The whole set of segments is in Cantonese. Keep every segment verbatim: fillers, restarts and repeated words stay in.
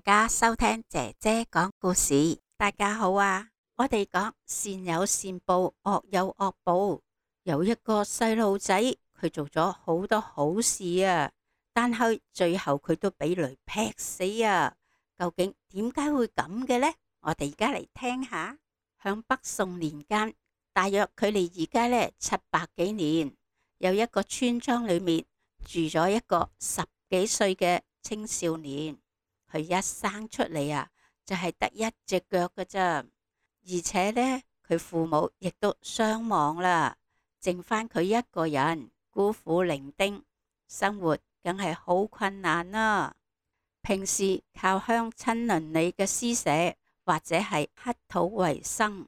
家收聽姐姐講故事。大家好啊！我哋講善有善報，惡有惡報。有一個細路仔，佢做咗好多好事啊，但係最後佢都俾雷劈死啊！究竟點解會咁嘅呢？我哋而家嚟聽下。響北宋年間，大約距離而家呢七百幾年，有一個村莊裏面住咗一個十幾歲嘅青少年。佢一生出嚟啊，就係得一隻腳㗎咋，而且呢，佢父母亦都雙亡啦，剩翻佢一個人孤苦伶仃，生活梗係好困難啦。平時靠鄉親鄰里嘅施捨或者係乞討為生。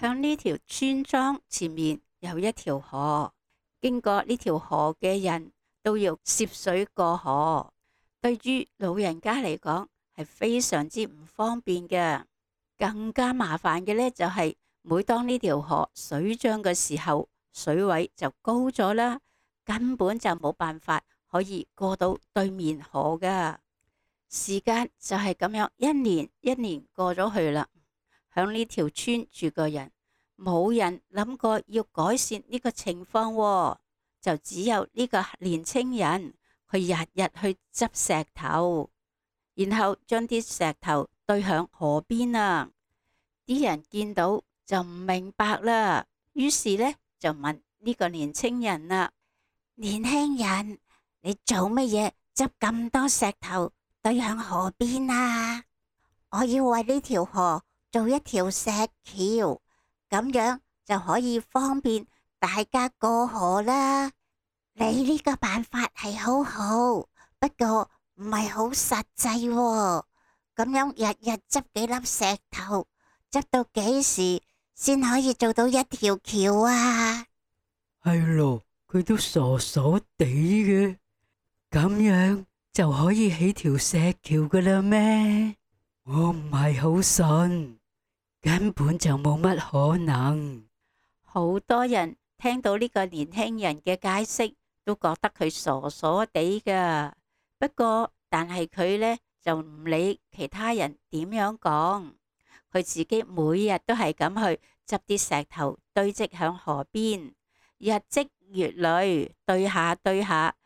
向呢條村莊前面有一條河，經過呢條河嘅人都要涉水過河。對於老人家嚟講係非常之唔方便嘅，更加麻煩嘅呢，就係每當呢條河水漲嘅時候，水位就高咗啦，根本就冇辦法可以過到對面河噶。時間就係咁樣一年一年過咗去啦，響呢條村住個人冇人諗過要改善呢個情況喎，就只有呢個年青人。佢日日去執石頭，然後將啲石頭堆響河邊啊！啲人見到就唔明白啦，於是呢，就問呢個年青人啦：年輕人，你做乜嘢執咁多石頭堆響河邊啊？我要為呢條河做一條石橋，咁樣就可以方便大家過河啦。你呢個辦法係好好，不過唔係好實際喎。咁樣日日執幾粒石頭，執到幾時先可以做到一條橋啊？係咯，佢都傻傻地嘅，咁樣就可以起條石橋噶啦咩？我唔係好信，根本就冇乜可能。好多人聽到呢個年輕人嘅解釋，都覺得佢傻傻地噶。不過，但係佢呢就唔理其他人點樣講，佢自己每日都係咁去執啲石頭堆積響河邊，日積月累，堆下堆下，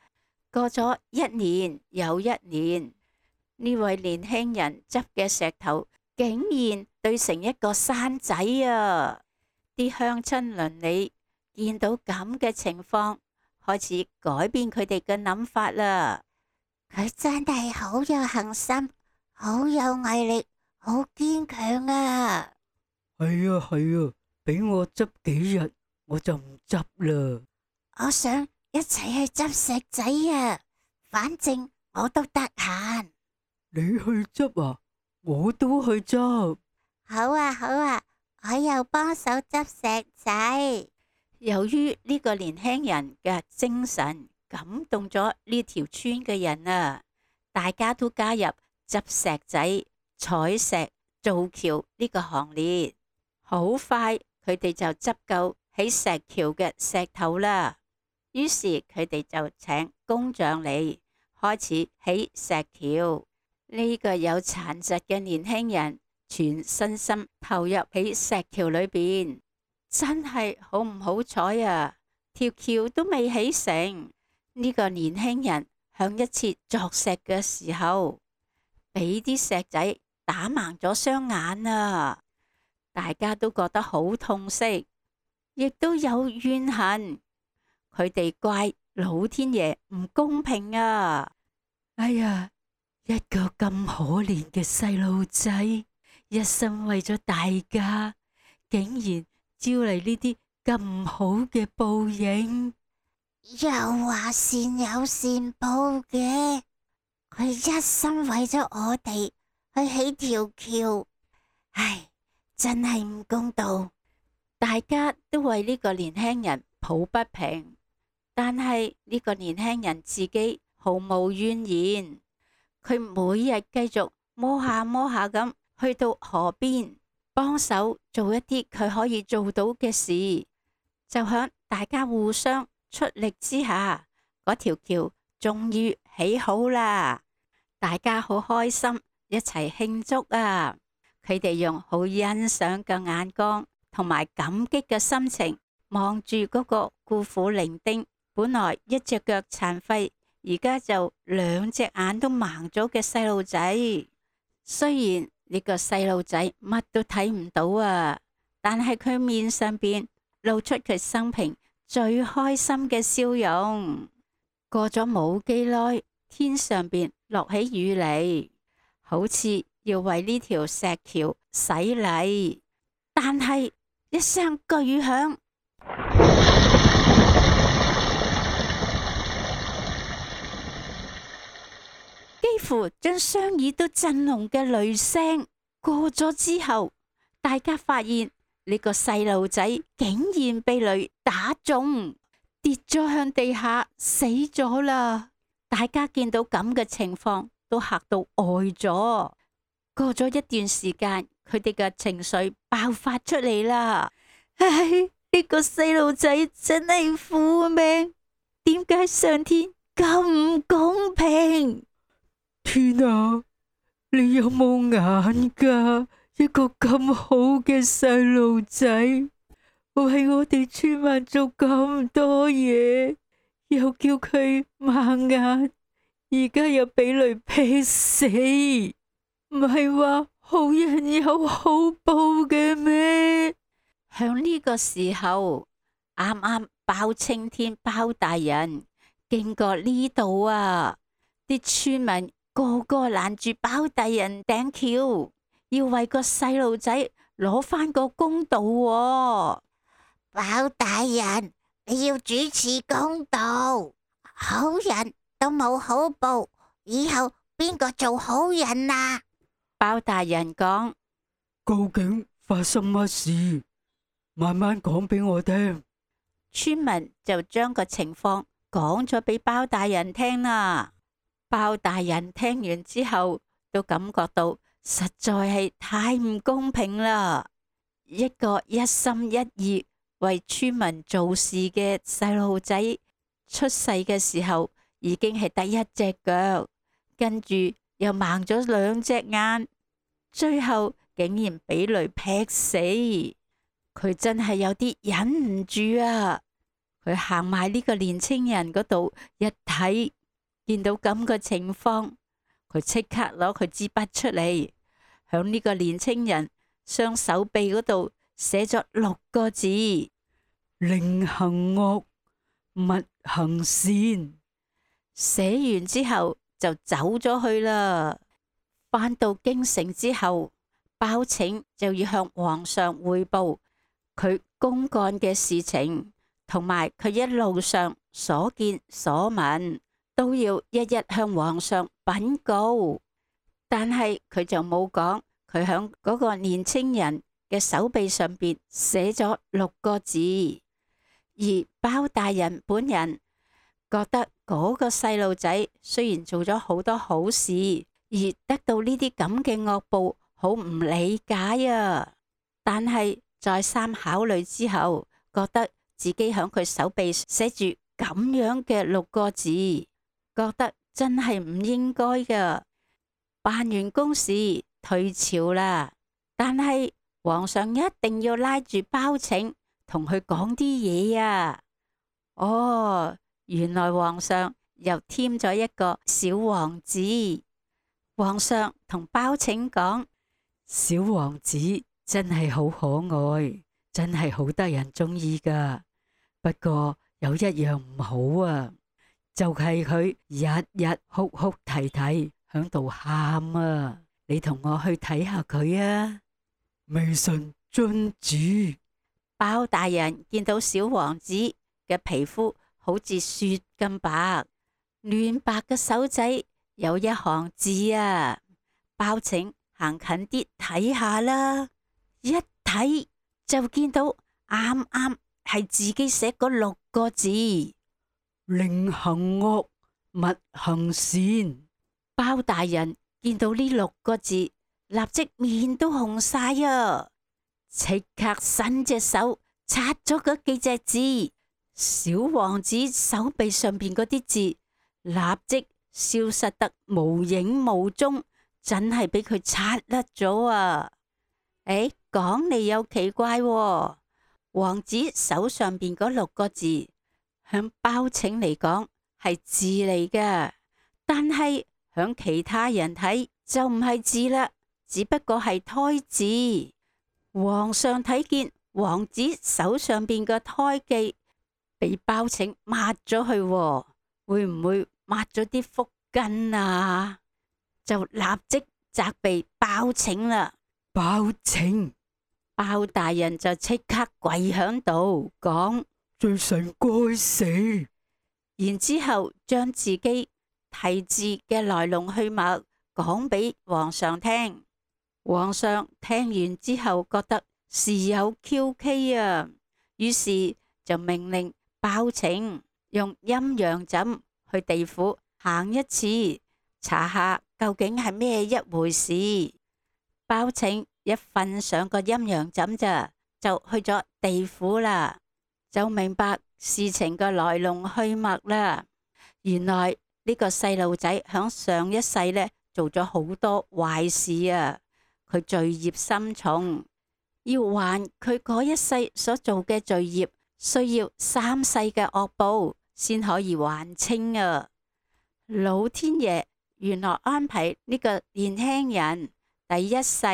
過咗一年又一年，呢位年輕人執嘅石頭竟然堆成一個山仔啊！啲鄉親鄰里見到咁嘅情況，開始改變佢哋嘅諗法啦。佢真係好有恒心，好有毅力，好堅強啊！係啊係啊，俾我執幾日我就唔執啦。我想一齊去執石仔啊，反正我都得閒。你去執啊，我都去執。好啊好啊，我又幫手執石仔。由於呢個年輕人嘅精神感動咗呢條村嘅人啊，大家都加入執石仔、採石、造橋呢個行列。好快，佢哋就執夠起石橋嘅石頭啦。於是佢哋就請工匠嚟開始起石橋。呢個有殘疾嘅年輕人全身心投入喺石橋裏邊。真係好唔好彩啊！條橋都未起成，呢個年輕人響一次鑿石嘅時候，俾啲石仔打盲咗雙眼啊！大家都覺得好痛惜，亦都有怨恨。佢哋怪老天爺唔公平啊！哎呀，一個咁可憐嘅細路仔，一心為咗大家，竟然招嚟呢啲咁唔好嘅報應。又話善有善報嘅，佢一心為咗我哋去起條橋，唉，真係唔公道。大家都為呢個年輕人抱不平，但係呢個年輕人自己毫無怨言，佢每日繼續摸下摸下咁去到河邊，幫手做一啲佢可以做到嘅事，就響大家互相出力之下，嗰條橋終於起好啦！大家好開心，一齊慶祝啊！佢哋用好欣賞嘅眼光同埋感激嘅心情望住嗰個孤苦伶仃，本來一隻腳殘廢，而家就兩隻眼都盲咗嘅細路仔。雖然呢個細路仔乜都睇唔到啊，但係佢面上邊露出佢生平最開心嘅笑容。過咗冇幾耐，天上邊落起雨嚟，好似要為呢條石橋洗禮，但係一聲巨響，幾乎將雙耳都震聾嘅雷聲過咗之後，大家發現呢個細路仔竟然被雷打中，跌咗向地下死咗啦！大家見到咁嘅情況都嚇到呆咗。過咗一段時間，佢哋嘅情緒爆發出嚟啦。唉，呢個細路仔真係苦命，點解上天咁唔公平？天啊，你有冇眼㗎？一個咁好嘅細路仔，為我哋村民做咁多嘢，又叫佢盲眼，而家又俾雷劈死，唔係話好人有好報嘅咩？響呢個時候，啱啱包青天包大人經過呢度啊，啲村民個個攔住包大人頂轎，要為個細路仔攞翻個公道喎。包大人，你要主持公道，好人都冇好報，以後邊個做好人啊？包大人講：究竟發生乜事？慢慢講俾我聽。村民就將個情況講咗俾包大人聽啦。包大人聽完之後，都感覺到實在係太唔公平啦。一個一心一意為村民做事嘅細路仔，出世嘅時候已經係得一隻腳，跟住又盲咗兩隻眼，最後竟然俾雷劈死。佢真係有啲忍唔住啊！佢行埋呢個年青人嗰度一睇，見到咁嘅情況，佢即刻攞佢支筆出嚟，響呢個年青人雙手臂嗰度寫咗六個字：寧行惡，勿行善。寫完之後就走咗去啦。返到京城之後，包拯就要向皇上匯報佢公幹嘅事情，同埋佢一路上所見所聞，都要一一向皇上稟告。但係佢就冇講佢響嗰個年青人嘅手臂上邊寫咗六個字。而包大人本人覺得嗰個細路仔雖然做咗好多好事，而得到呢啲咁嘅惡報，好唔理解啊！但係再三考慮之後，覺得自己響佢手臂寫住咁樣嘅六個字，覺得真係唔應該㗎。辦完公事退朝啦，但係皇上一定要拉住包拯同佢講啲嘢啊！哦，原來皇上又添咗一個小王子。皇上同包拯講：小王子真係好可愛，真係好得人中意噶。不過有一樣唔好啊，就係佢日日哭哭啼啼響度喊啊！你同我去睇下佢啊！微臣遵旨。包大人見到小王子嘅皮膚好似雪咁白，嫩白嘅手仔有一行字啊！包拯行近啲睇下啦，一睇就見到啱啱係自己寫嗰六個字：寧行惡，勿行善。包大人見到呢六個字，立即面都紅晒啊！即刻伸隻手擦咗嗰幾隻字，小王子手臂上邊嗰啲字立即消失得無影無蹤，真係俾佢拆甩咗啊！誒，講嚟又奇怪喎，王子手上邊嗰六個字，響包拯嚟講係字嚟嘅，但係響其他人睇就唔係字啦，只不過係胎記。皇上睇見王子手上邊嘅胎記俾包拯抹咗去喎，會唔會抹咗啲福根啊？就立即責備包拯啦。包拯，包大人就即刻跪響度講：罪臣該死。然之後將自己題字嘅來龍去脈講俾皇上聽。皇上聽完之後覺得事有蹊蹺啊，於是就命令包拯用陰陽枕去地府行一次，查下究竟係咩一回事。包拯一瞓上個陰陽枕咋，就去咗地府啦，就明白事情嘅來龍去脈啦。原來呢個細路仔響上一世呢做咗好多壞事啊，佢罪孽深重，要還佢嗰一世所做嘅罪孽，需要三世嘅惡報先可以還清啊。老天爺原來安排呢個年輕人第一世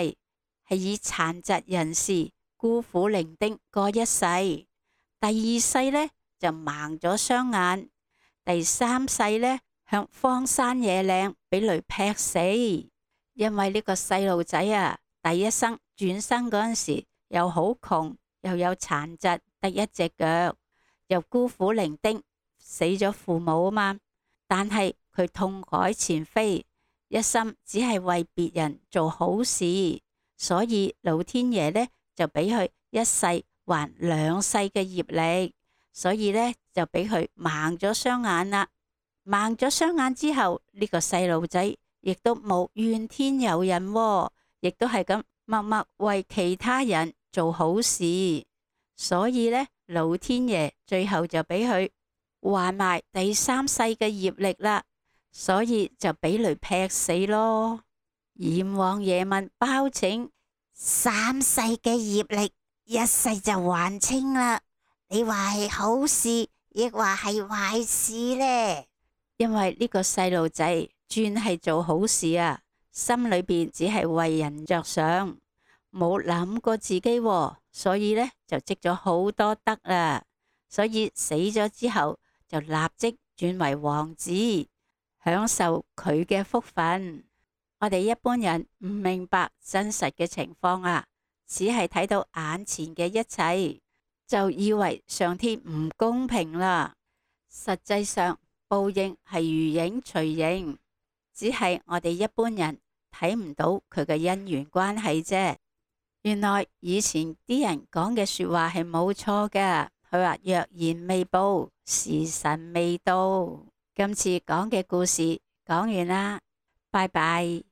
係以殘疾人士孤苦伶仃過一世，第二世呢就盲咗雙眼，第三世呢向荒山野嶺俾雷劈死。因為呢個細路仔啊，第一生轉生嗰陣時又好窮，又有殘疾，得一隻腳，又孤苦伶仃，死咗父母啊嘛。但係佢痛改前非，一心只係為別人做好事，所以老天爺呢就俾佢一世還兩世嘅業力，所以呢就俾佢盲咗雙眼啦。盲咗雙眼之後，呢個細路仔亦都冇怨天尤人喎，亦都係咁默默為其他人做好事，所以呢，老天爺最後就俾佢還埋第三世嘅業力啦。所以就俾雷劈死咯。閻王爺問包拯：三世嘅業力一世就還清啦，你話係好事，亦話係壞事呢？因為呢個細路仔專係做好事啊，心裏邊只係為人着想，冇諗過自己喎，所以呢就積咗好多德啦。所以死咗之後就立即轉為王子，享受佢嘅福分。我哋一般人唔明白真實嘅情況啊，只係睇到眼前嘅一切，就以為上天唔公平啦。實際上報應係如影隨形，只係我哋一般人睇唔到佢嘅因緣關係啫。原來以前啲人講嘅說話係冇錯㗎，佢話若然未報，時辰未到。今次講嘅故事講完啦，拜拜。